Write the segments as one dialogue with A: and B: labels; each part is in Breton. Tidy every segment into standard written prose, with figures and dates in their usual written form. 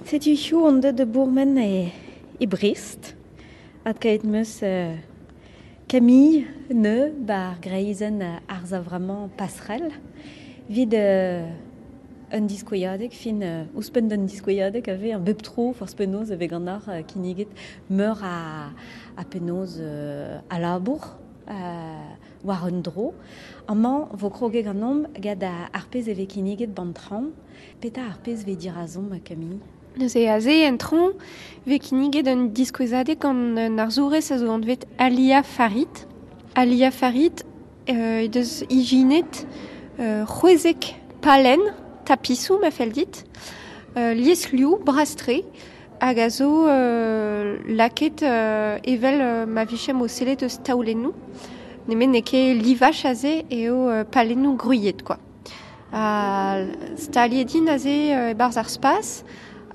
A: Setu hiziv on deuet da bourmen e Brest. Adkaet 'm eus Camille Neu 'ba ar greizenn arz a-vremañ Passerelle 'vit un diskouezadeg, fin ouzhpenn d'un diskouezadeg a vez bep tro forzh penaos e vez ganeoc'h kinniget meur a penaos a labour war un dro. Amañ 'vo kroget ganeomp gant ar pezh e vez kinniget 'ban traoñ. Petra ar pezh 'vez dirazomp, Camille?
B: Neuze aze en traoñ 'vez kinniget un diskouezadeg gant un arzourez a zo anvet Alia Farid. Alia Farid he deus ijinet c'hwezek palenn tapisoù ma fell dit, liesliv bras-tre hag a zo lakaet evel ma vijemp o sellet eus taolennoù. Nemet n'eo ket livaj aze eo palennoù gwriet kwa. Ha staliet int aze e-barzh ar spas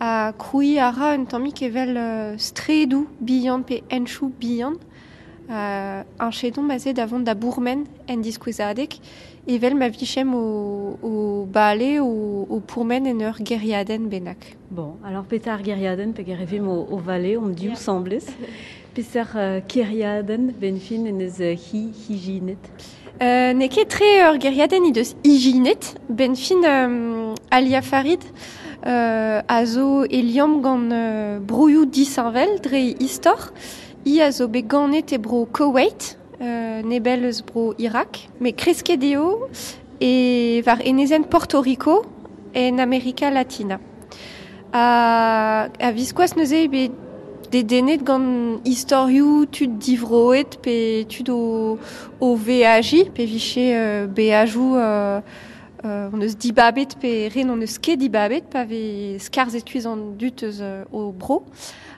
B: ha krouiñ a ra un tammig evel straedoù bihan pe henchoù bihan. Añchedomp aze da vont da bourmen en diskouezadeg evel ma vijemp o bale o pourmen en ur gêriadenn bennak.
A: Bon, alors petra ar gêriadenn peger e vimp o vale hon div asambles. Peseurt kêriadenn 'benn fin en deus hi ijinet?
B: N'eo ket tre ur gêriadenn he deus ijinet. 'Benn fin Alia Farid a zo e liamm gant broioù disheñvel dre istor. Hi a zo bet ganet e bro Koweït, nebell eus bro Irak, met kresket eo e war enezenn Porto Rico en Amerika Latina. Ha a-viskoazh neuze eo bet dedennet gant istorioù tud divroet pe tud o veajiñ, pe vije beajoù hon eus dibabet pe re n'hon eus ket dibabet pa vez skarzhet kuit an dud eus o bro.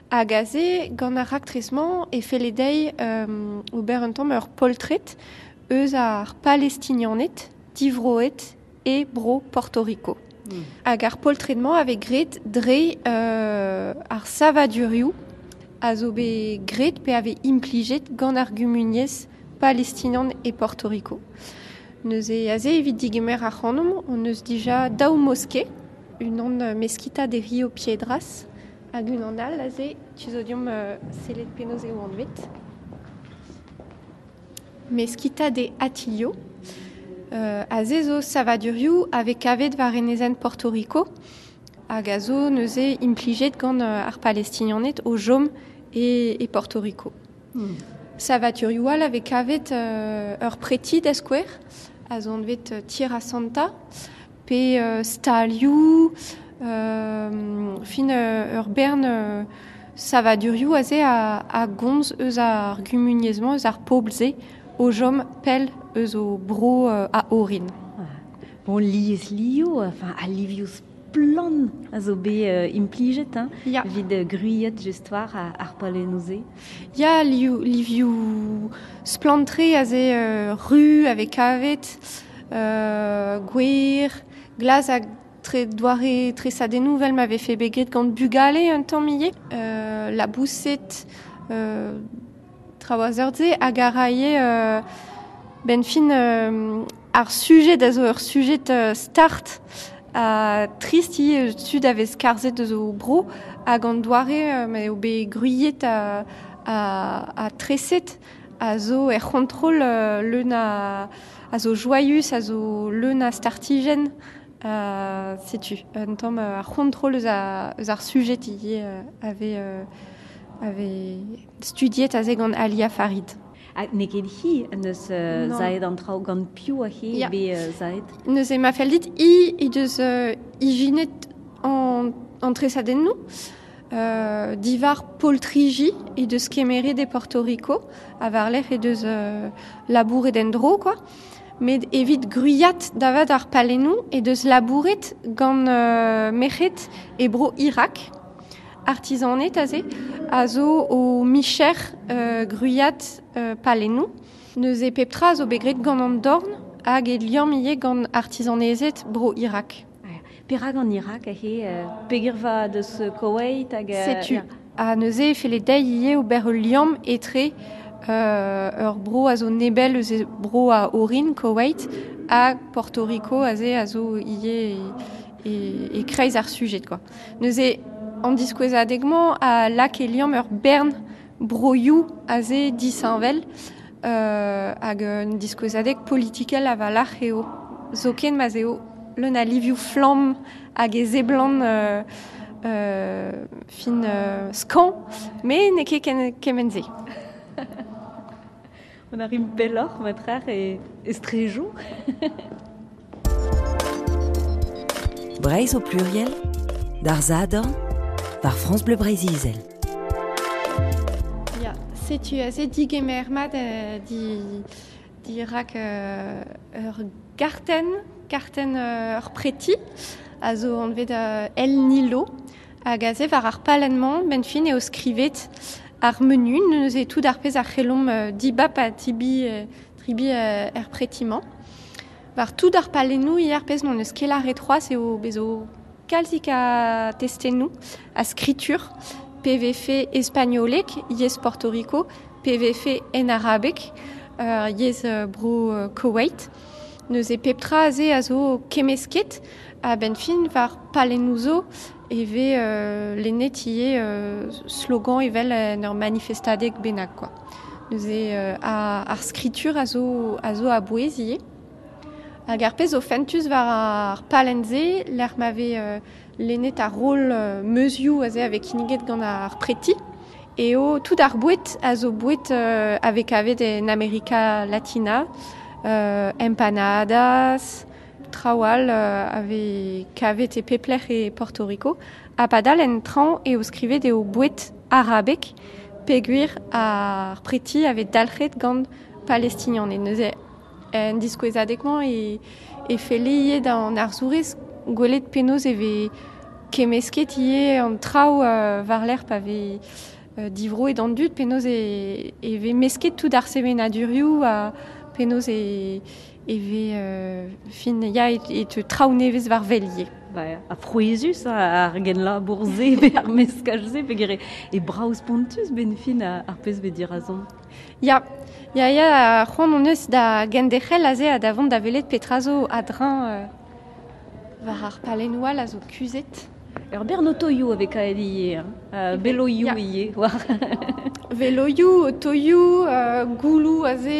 B: Hag aze, gant ar raktres-mañ, e felle dezhi ober un tamm ur poltred eus ar Palestinianed divroet e bro Porto Rico. Hag ar poltred-mañ a vez graet dre ar savadurioù a zo bet graet pe a vez implijet gant ar gumuniezh palestinian e Porto Rico. Neuze aze evit digemer ac'hanomp hon eus dija daou moske, unan Mezquita de Rio Piedras hag unan all aze, tu zo deomp sellet penaos eo anvet. Mezquita de Hatillo. Aze zo savadurioù a vez kavet war enezenn Porto Rico hag a zo neuze implijet gant ar Palestinianed o chom e Porto Rico. Savadurioù all a vez kavet ur preti da skouer, a zo anvet Tierra Santa, pe stalioù, fin ur bern savadurioù aze a gomz eus ar gumuniezh-mañ, eus ar pobl-se, o chom pell eus o bro a orin.
A: Bon, lies-liv, enfin, al livioù splann a zo bet implijet hein, evit gwriat just war ar palennoù-se.
B: Ya, livioù splann-tre aze ru a vez kavet, gwer, glas hag tre doare tresadennoù 'vel ma vefe bet graet gant bugale un tamm ivez. Laboused, traoù a seurt-se hag a rae 'benn fin ar sujed a zo ur sujed start ha trist ivez tud a vez skarzhet eus o bro hag an doare m'eo bet gwriet ha treset a zo er c'hontrol leun a a zo joaius, a zo leun a startijenn. Setu un tamm ar c'hontrol eus ar sujed ivez a vez a vez studiet aze gant Alia Farid.
A: Ha n'eo ket hi en deus zaet an traoù gant piv hi bet zaet?
B: Neuze ma fell dit, hi he deus ijinet an tresadennoù. Diwar poltriji he deus kemeret e Porto Rico ha war-lerc'h he deus labouret en-dro kwa. Met evit gwriat davat ar palennoù he deus labouret gant merc'hed e bro Irak. Artizaned aze a zo o micher gwriat palennoù. Neuze pep tra a zo bet graet gant an dorn hag e liamm ivez gant artizanezed bro Irak.
A: Perak an Irak aze peger vat eus Koweït hag
B: Setu. Ha neuze e felle dezhi ivez ober ul liamm etre ur bro a zo nebell eus bro a orin Koweït ha Porto Rico aze a zo ivez e-kreiz ar sujed kwa. Neuze An diskouezadeg-mañ a lak e liamm ur bern broioù aze disheñvel hag un diskouezadeg politikel a-walc'h eo. Zoken ma'z eo leun a livioù flamm hag e seblant fin skañv, met n'eo ket kement-se.
A: On arrive pelloc'h matrec'h e strejoù.
C: Breizh au pluriel, d'ar Sadorn, war France Bleu Breizh-Izel.
B: Ya, setu aze digemer mat di, dirak ur gartenn, kartenn ur preti, a zo anvet El Nilo, hag aze war ar palenn-mañ, benn fin eo skrivet ar menu, neuze tout ar pezh a c'hellomp dibab ha tibi, tribi er preti-mañ. War tout ar palennoù ivez ar pezh n'hon eus ket lâret c'hoazh eo bezo kalzik a testennoù, a skritur, PVF espagnolek, yezh Porto Rico, PVF en arabeg, yezh bro Koweït. Neuze pep tra aze a zo kemmesket a-benn fin war palennoù zo e vez lennet ivez slogan evel en ur manifestadeg bennak quoi. Neuze ar skritur a zo a zo a-bouez ivez. Hag ar pezh zo fentus war ar palenn-se, lec'h ma vez lennet ar roll meuzioù aze a vez kinniget gant ar preti, eo tout ar boued a zo boued a vez kavet en Amerika Latina, empanadas, traoù all a vez kavet e pep lec'h e Porto Rico. Ha padal en traoñ eo skrivet eo boued arabek, peogwir ar preti a vez dalc'het gant Palestinianed. Neuze en diskouezadeg-mañ e felle ivez d'an arzourez gwelet penaos e vez kemmesket ivez an traoù war-lerc'h pa vez divroet an dud, penaos e vez mesket tout ar sevenadurioù ha penaos e vez fin ya e teu traoù nevez war wel ivez.
A: Ba, ha frouezhus ar genlabour-se pe ar meskaj-se peogwir e brav spontus benn fin ar pezh 'vez dirazomp.
B: Ya, ya, ya, c'hoant hon eus da genderc'hel aze ha da vont da welet petra zo a-dreñv war ar palennoù all a zo kuzhet.
A: Ur bern otoioù a vez kavet ivez, hein, veloioù ivez war.
B: Veloioù, otoioù, gouloù aze,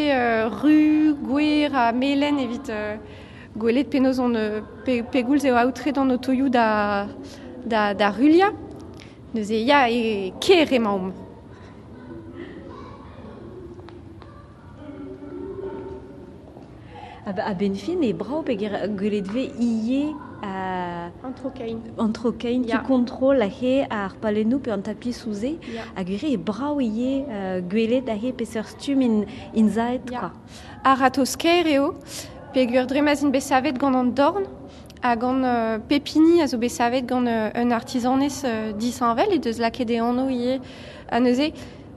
B: ru, gwer ha melen evit gwelet penaos on pegoulz eo aotret an otoioù da, da, da ruilhañ. Neuze ya, e kêr emaomp.
A: A-benn fin eo brav peogwir gwelet 'vez ivez
B: An tro-kein.
A: An tro-kein tu kontrol aze ar palennoù pe an tapisoù-se. Hag ivez eo brav ivez gwelet aze peseurt stumm int aet quoi.
B: A-ratozh-kaer eo peogwir dre ma'z int bet savet gant an dorn ha gant pep hini a zo bet savet gant un artizanez disheñvel he deus lakaet e anv ivez. Ha neuze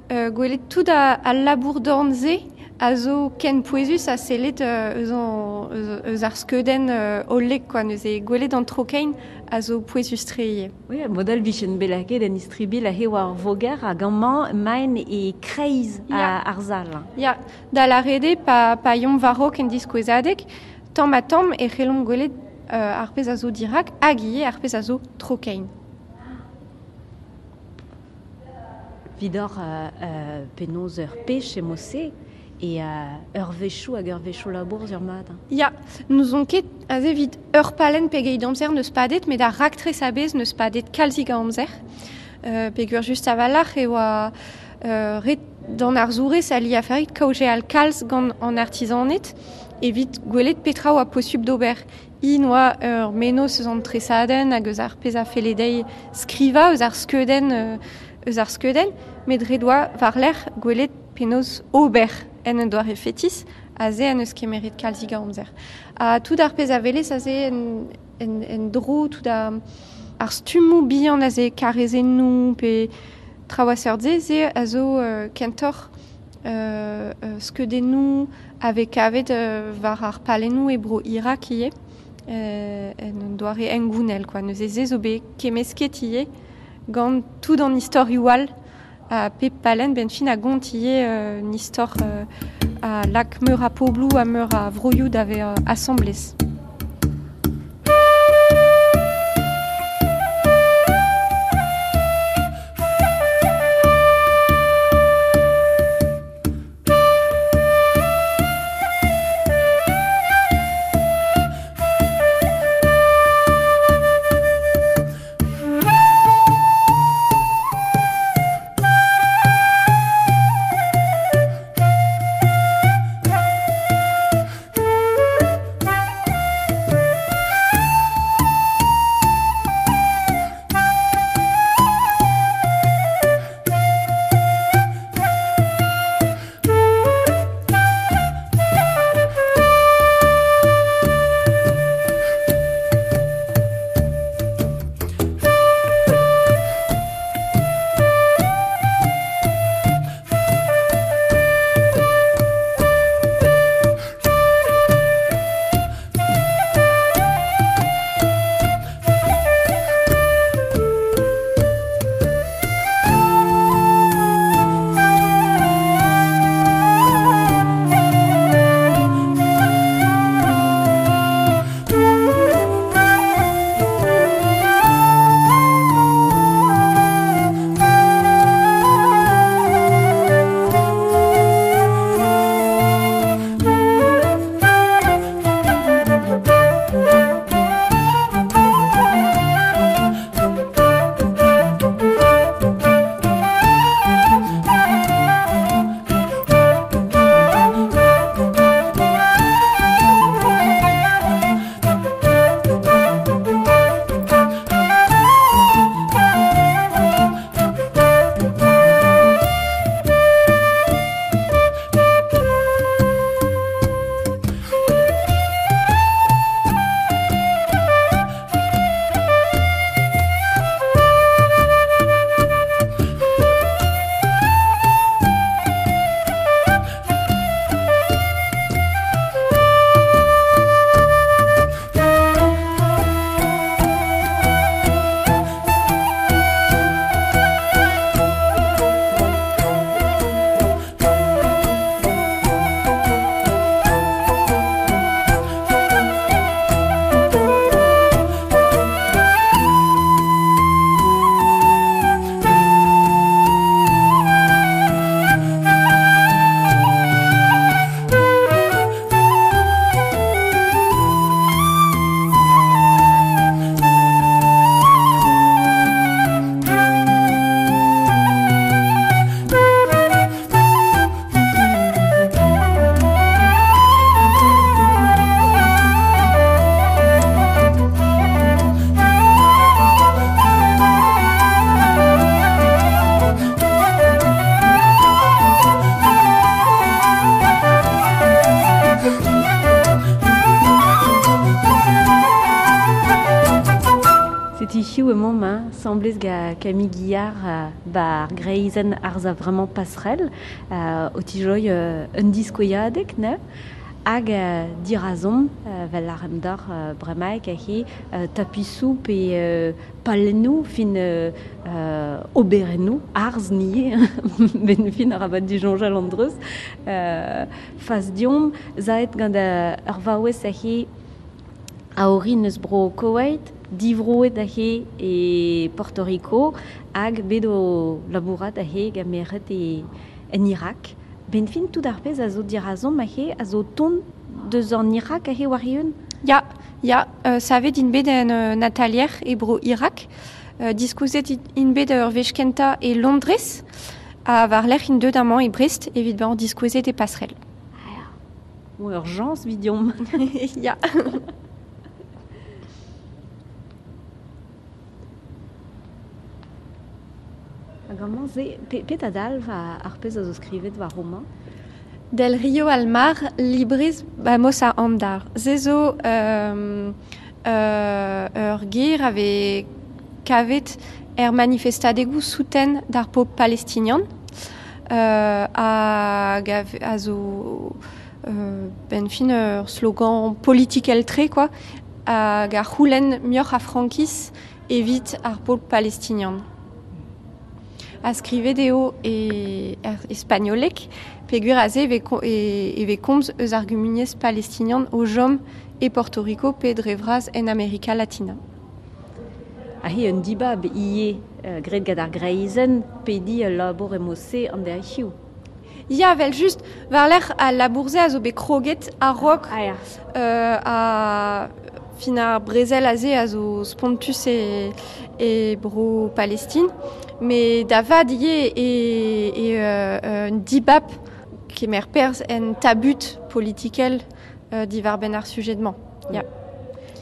B: gwelet tout al labour-dorn-se a zo ken pouezus ha sellet eus ar skeudenn hollek quoi. Neuze gwelet an tro-kein a zo pouezus-tre ivez.
A: Oui, modal 'vijen bet lakaet en istribilh aze war ar voger hag amañ emaint e-kreiz ar sal.
B: Ya, da lâret eo pa yomp war-raok en diskouezadeg, tamm-ha-tamm e c'hellomp gwelet ar pezh a zo dirak hag ivez ar pezh a zo tro-kein.
A: Vidoc'h penaos ur pech emo-se e eurvezhioù hag eurvezhioù labour sur mat.
B: Ya, n'ouzon ket aze evit ur palenn pegeit amzer n'eus padet, met ar raktres a-bezh n'eus padet kalzik a amzer. Peogwir just a-walc'h e oa ret d'an arzourez a liafarit kaozeal kalz gant an artizaned evit gwelet petra oa posupl d'ober. Int oa ur mennozh eus an tresadenn hag eus ar pezh a felle dezhi skrivañ eus ar skeudenn eus ar skeudenn, met ret oa war-lerc'h gwelet penaos ober en un doare fetis, aze en deus kemeret kalzik a amzer. Ha tout ar pezh a welez aze en dro, tout ar stummoù bihan aze, karrezennoù pe traoù a seurt-se, se a zo kentoc'h skeudennoù a vez kavet war ar palennoù e bro Irak ivez, en un doare hengounel quoi. Neuze se zo bet kemmesket ivez gant tout an istorioù all ha pep palenn benn fin a gont ivez un istor a lak meur a pobloù ha meur a vroioù da vezañ asambles.
A: Semblez ga Camille Guillard bar greizen arz a vraiment passerelle o tijoi un diskoiadek, ne? Hag dirazon, vel ar emdar bremaik a he tapisou pe palennou fin oberennou, arz nie, ben fin ar abat du Jean-Jal Andreus, faz diom, zaet gant ur vaouez a he a orin eus bro Koweït, divroet a he e Porto Rico, hag bet o labourat a he gameret e en Irak. Ben fin tout ar pezh a zo dirazon ma he a zo ton deus an Irak a he war eeun?
B: Ya, ya, savet int bet en atalier e bro Irak. Diskouzet int bet ur wech kentañ e Londrez, ha war lerc'h int deut amañ e Brest evit bezañ diskouezet e Passerelle.
A: Ah ya, bon, urgence vidiomp.
B: Ya.
A: Hag amañ se, pet a dalv ar pezh a zo skrivet war romañ?
B: Del Rio al mar, librez vamos a andar. Se zo ur ger a vez kavet er manifestadegoù souten d'ar pobl palestinian, hag a zo ben fin ur slogan politikel tre, quoi, hag a c'houlenn muioc'h a frankiz evit ar pobl palestinian. A skrivet eo e er espagnolek, peogwir aze e vez komz eus ar gumuniezh palestinian o chom e Porto Rico pe dre vras en Amerika Latina.
A: A he un dibab ivez graet gant ar greizenn pediñ ul labour emose an derc'hioù.
B: Ya, vel just, war-lerc'h al labour-se a zo bet kroget a-raok,
A: Ah, ya.
B: a fin ar brezel aze a zo spontus e bro Palestine. Mais da vat ivez e un dibab kemer perzh en tabut politikel diwar-benn ar sujet-mañ. Ya.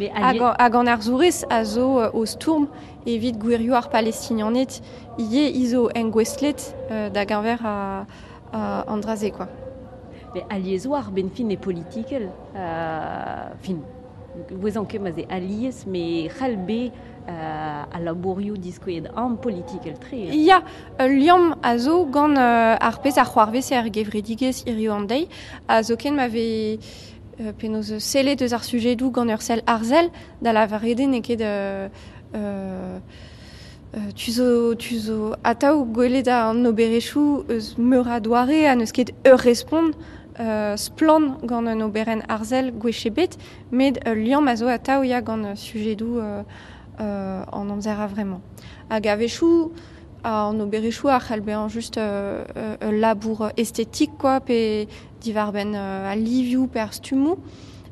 A: Mais
B: Hag
A: allié
B: hag an arzourez a zo o stourm evit gwirioù ar Palestinianed ivez izo engouestlet da geñver a an dra-se, quoi.
A: Mais alliez war ben fin e politikel, fin, gouezan ket ma ze alliez, mais c'hall be a labourioù diskouezet an politikel tre.
B: Ya, ul liamm a zo gant ar pezh a c'hoarvez er gevredigezh hiziv an deiz, a zo ken ma vez penaos sellet eus ar sujedoù gant ur sell arzel, da lavaret eo n'eo ket tu zo atav gwelet an oberezhioù eus meur a doare ha n'eus ket ur respont splann gant un oberenn arzel gwech ebet, met ul liamm a zo atav ya gant sujedoù an amzer a-vremañ. Hag a-wechoù, an oberezhioù a c'hall bezañ just ul labour estetik, quoi, pe diwar-benn al livioù pe ar stummoù.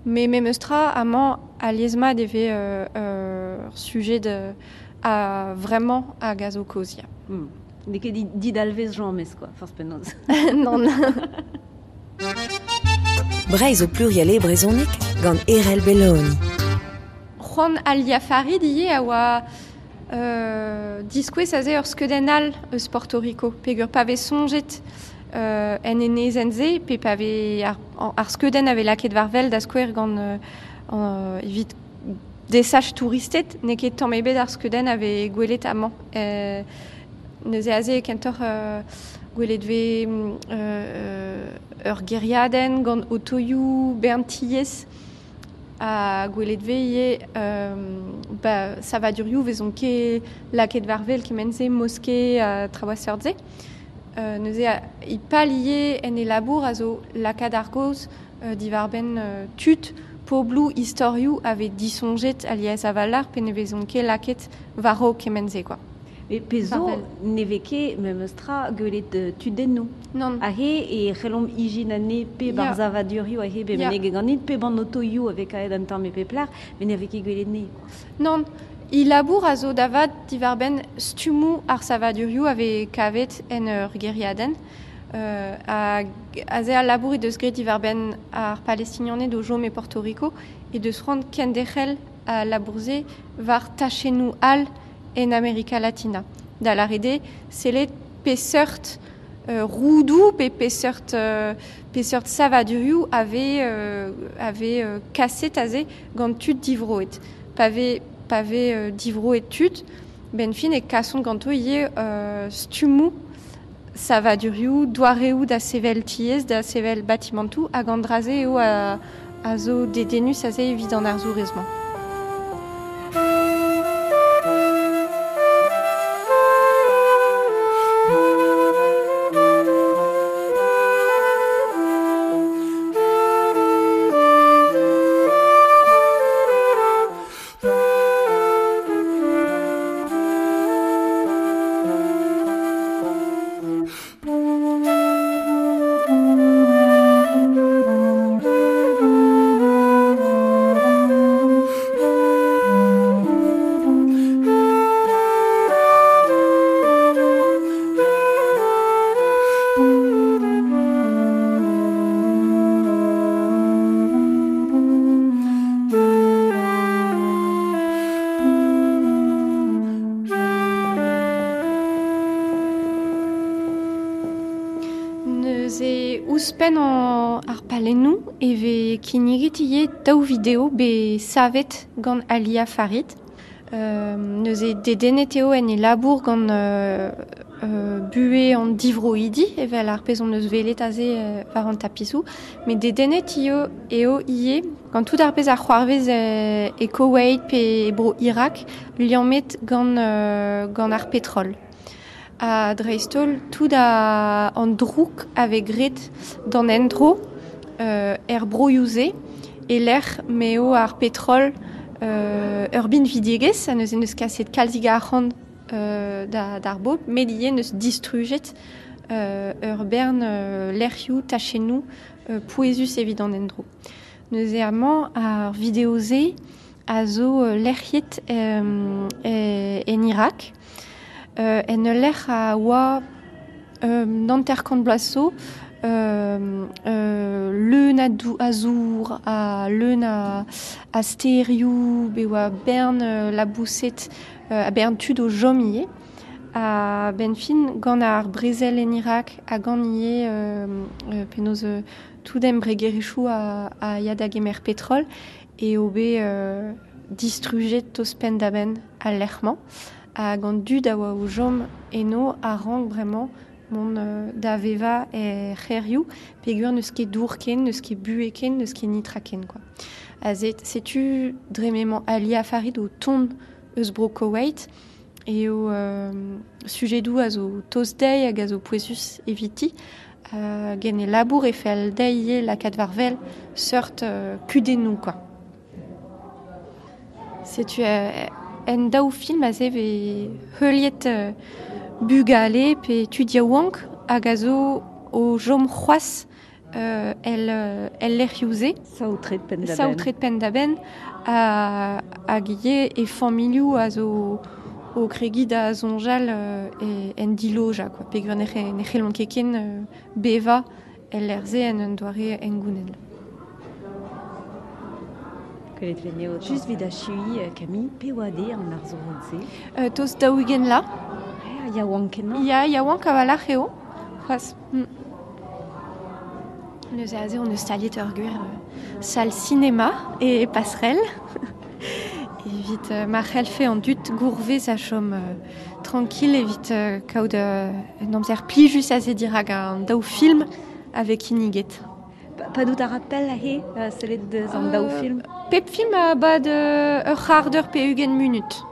B: Mais memes tra, amañ alies-mat e vez ur sujet a vraiment hag a zo kaoz, ya.
A: N'eo ket didalvez james, quoi, forzh penaos.
B: Non.
C: Breizh o pluriel e brezhoneg gant Erell Belloni.
B: C'hoant Alia Farid ivez a oa diskouez aze ur skeudenn all eus Porto Rico, peogwir pa vez soñjet en enezenn-se, pe pa vez ar skeudenn a vez lakaet war wel da skouer gant evit desach touristed, n'eo ket tamm ebet ar skeudenn a vez gwelet amañ. Neuze aze kentoc'h gwelet vez ur gêriadenn gant otoioù bern tiez ha gwelet vez ivez ba, savadurioù vezont ket lakaet war wel kement-se, moske ha traoù a seurt-se. Neuze i pal ivez en e labour a zo lakaat ar gaoz diwar-benn tud, pobloù, istorioù a vez disoñjet alies a-walc'h pe ne vezont ket lakaet war-raok kement-se, quoi.
A: Mais pezo
B: War-wel.
A: ne vez ket memes tra gwelet tudennoù.
B: Non.
A: A he e c'hellomp ijinane pe
B: Ya.
A: bar zavadurioù a he be
B: Ya.
A: meneg ganit, pe ban otoioù a vez kaet an tamm e pep lec'h, met ne vez ket gwelet ne.
B: Non. I labour a zo da vat diwar-benn stummoù ar savadurioù a vez kavet en ur gêriadenn. Hag aze al labour he deus graet diwar-benn ar Palestinianed o chom e Porto Rico he deus c'hoant kenderc'hel a labour-se war tachennoù all en Amerika Latina. Da lâret eo, sellet peseurt roudoù pe peseurt savadurioù a vez kaset aze gant tud divroet. Pa vez divroet tud, Ben fin e kasont ganto ivez stummoù savadurioù, doareoù da sevel tiez, da sevel batimantoù, hag an dra-se eo a zo dedennus aze evit an arzourez-mañ. Neuze ouzhpenn ar palennoù e vez kinniget ivez daou video bet savet gant Alia Farid. Neuze dedennet eo en e labour gant buhez an divroidi, evel ar pezh hon eus welet aze war an tapisoù. Met dedennet eo ivez gant tout ar pezh a c'hoarvez e Koweït pe e bro Irak, liammet gant ar petrol. Ha dreist-holl tout an droug a vez graet d'an endro er broioù-se e-lec'h m'eo ar petrol ur binvidigezh ha neuze n'eus kaset kalzik arc'hant d'ar bobl, met ivez n'eus distrujet ur bern lec'hioù, tachennoù pouezus evit an endro. Neuze amañ ar video-se a zo lec'hiet en Irak. En ul lec'h a oa hanter-kant bloaz zo, leun a zour, a leun a stêrioù, bet oa bern laboused, a bern tud o chom ivez. Ha benn fin, gant ar brezel en Irak ha gant ivez penaos tout embregerezhioù a ya da gemer petrol eo bet distrujet tost penn-da-benn al lec'h-mañ. Hag an dud a oa o chom eno a rank bremañ mont da vevañ er c'hêrioù peogwir n'eus ket dour ken, n'eus ket buhez ken, n'eus ket nitra ken, quoi. Aze, setu dre m'emañ Alia Farid o tont eus bro Koweït eo sujedoù a zo tost dezhi hag a zo pouezus eviti. Hag en e labour e fell dezhi ivez lakaat war-wel seurt kudennoù, quoi. Setu en daou film aze vez heuliet bugale pe tud yaouank hag a zo o chom c'hoazh el lec'hioù-se.
A: Saotret penn-da-benn.
B: Saotret penn-da-benn hag ivez e familhoù a zo o kregiñ da soñjal en dilojañ, quoi. Peogwir ne c'hellont ket ken bevañ el lec'h-se en un doare hengounel.
A: Just evit achuiñ, Camille, pe oa dezhi an arzourez-se?
B: Tost 40 la.
A: Yaouank kenañ.
B: Ya, yaouank a-walc'h eo. C'hoazh. Neuze aze on eus staliet ur gwir sal sinema e Passerelle. Evit ma c'hellfe an dud gourvez a chom tranquille evit kaout un amzer plijus aze dirak an daou film a vez kinniget.
A: Padout a rappel aze sellet deus an daou film?
B: Pep film a bad ur c'hard eur pe 20 munut.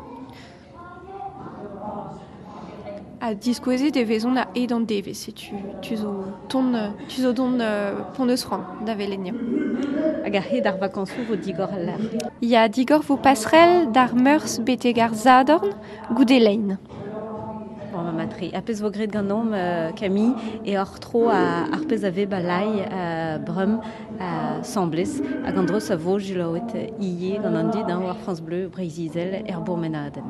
B: Ha diskouezet e vezont a-hed an devezh, setu tu zo ton tu zo dont pont eus c'hoant da welet.
A: Hag a-hed ar vakañsoù vo digor al lec'h?
B: Ya, digor vo Passerelle d'ar Meurzh betek ar Sadorn goude lein.
A: Bon, ma matre. A pezh vo graet ganeomp, Camille, e hor tro ar pezh a vez balai brum semblez hag an dreuz a vo jilaouet ivez gant an dud war France Bleu Breizh-Izel er bourmenadenn.